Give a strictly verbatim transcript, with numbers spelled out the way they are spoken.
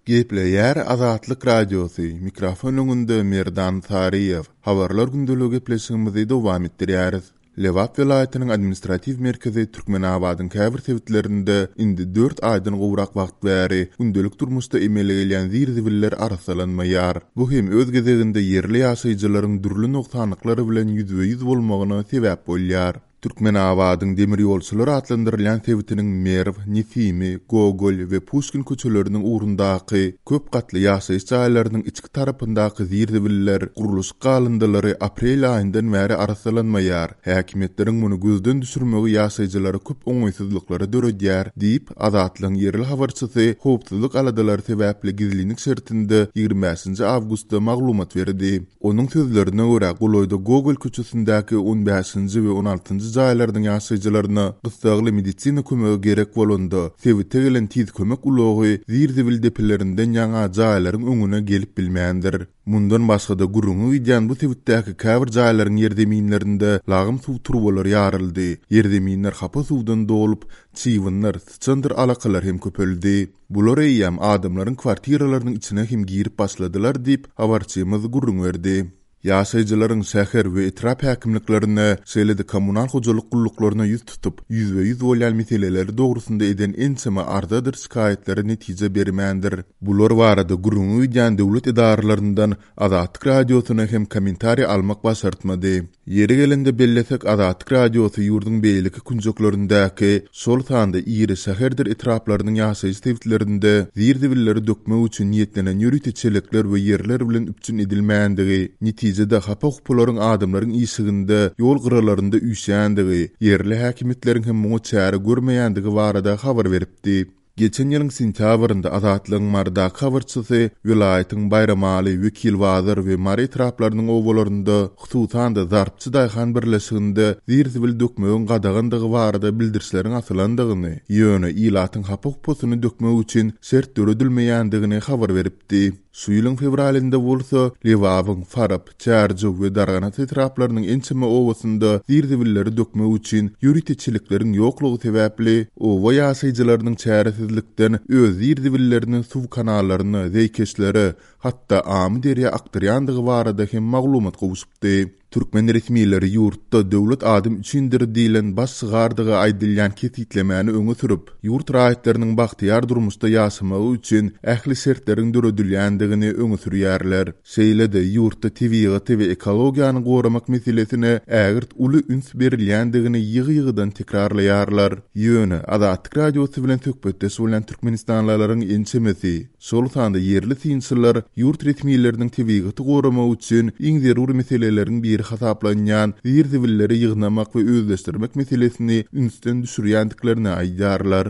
Gepleýär Azatlyk Radiosy, mikrofon öňünde Merdan Saryýew. Habarlar gündeligi gepleşigimizi dowam etdirýäris. Lebap welaýatynyň administratiw merkezi Türkmenabadyň käbir sebitlerinde indi dört aýdan gowrak wagt bäri gündelik durmuşda emele gelýän zir-zibiller arassalanmaýar. Bu hem öz gezeginde ýerli ýaşaýjylaryň dürli nogsanlyklar bilen ýüzbe-ýüz bolmagyna sebäp bolýar. Türkmenabadyň demir ýolçular atlandyrylýan sebitiniň Merw, Nesimi, Gogol we Puşkin köçeleriniň ugrundaky köp gatly ýaşaýyş jaýlarynyň içki tarapyndaky zir-zibiller, gurluşyk galyndylary aprel aýyndan bäri arassalanmaýar. Häkimiýetleriň muny gözden düşürmegi ýaşaýjylara köp oňaýsyzlyklary döredýär diýip, Azatlygyň ýerli habarçysy howpsuzlyk aladalary sebäpli gizlinlik şertinde ýigrimi bäşinji awgustda maglumat berdi. Onuň sözlerine görä, golaýda Gogol köçesindäki on bäşinji we on altynjy jaýlarynyň ýaşaýjylaryna gyssagly medisina kömegi gerek bolanda, sebite gelen tiz kömek ulagy zir-zibil depelerinden ýaňa jaýlaryň öňüne gelip bilmändir. Mundan başga-da gürrüňi gidýän bu sebitdäki käbir jaýlaryň ýerzeminlerinde lagym suw turbalary ýaryldy, ýerzeminler hapa suwdan dolup, çybynlar, syçandyr alakalar hem köpeldi. Bular eýýäm adamlaryň kwartiralarynyň içine hem girip başladylar diýip, habarçymyz gürrüň berdi. Ýaşaýjylaryň şäher we etrap häkimliklerine, şeýle-de kommunal hojalyk gulluklaryna ýüz tutup, ýüzbe-ýüz bolýan meseleleri dogrusynda eden ençeme arzadyr şikaýatlary netije bermändir. Bular barada gürrüňi gidýän döwlet edaralaryndan Azatlyk Radiosyna hem kommentariý almak başartmady. Ýeri gelende bellesek, Azatlyk Radiosy ýurduň beýleki künjeklerindäki, şol sanda iri şäherdir etraplarynyň ýaşaýyş sebitlerinde zir-zibilleri dökmek üçin niýetlenen ýörite çelekler we ýerler bilen üpjün edilmändigi, netijede hapa-hupalaryň adamlaryň işiginde, ýol gyralarynda üýşýändigi, ýerli häkimiýetleriň hem muňa çäre görmeýändigi barada habar beripdi. Geçen ýylyň sentýabrynda Azatlygyň Marydaky habarçysy welaýatyň Baýramaly, Wekilbazar we Mary etraplarynyň obalarynda, hususan-da Zarpçy daýhan birleşiginde zir-zibil dökmegiň gadagandygy barada bildirişleriň asylandygyny, ýöne ilatyň hapa-hupasyny dökmek üçin şert döredilmeýändigini habar beripdi. Şu ýylyň fewralynda bolsa Lebabyň Farap, Çärjew we Darganata etraplarynyň ençeme obasynda zir-zibilleri dökmek üçin ýörite çelekleriň ýoklugy sebäpli oba ýaşaýjylarynyň çäresizlikden öz zir-zibillerini suw kanallaryna, zeýkeşlere, hatda Amyderýa akdyrýandygy barada hem maglumat gowşupdy. Türkmen resmileri ýurtda döwlet adam üçindir diýlen baş şygardygy aýdylýan kesgitlemäni öňe sürüp, ýurt raýatlarynyň bagtyýar durmuşda ýaşamagy üçin ähli şertleriň döredilýändigini öňe sürýärler. Şeýle-de ýurtda tebigaty we ekologiýany goramak meselesine ägirt uly üns berilýändigini ýygy-ýygydan tekrarlaýarlar. Ýöne Azatlyk Radiosy bilen söhbetdeş bolýan türkmenistanlylaryň ençemesi, şol sanda ýerli synçylar ýurt resmileriniň tebigaty goramak üçin iň zerur meseleleriň biri hasaplanýan zir-zibilleri ýygnamak we özleşdirmek meselesini ünsden düşürýändiklerini aýdýarlar.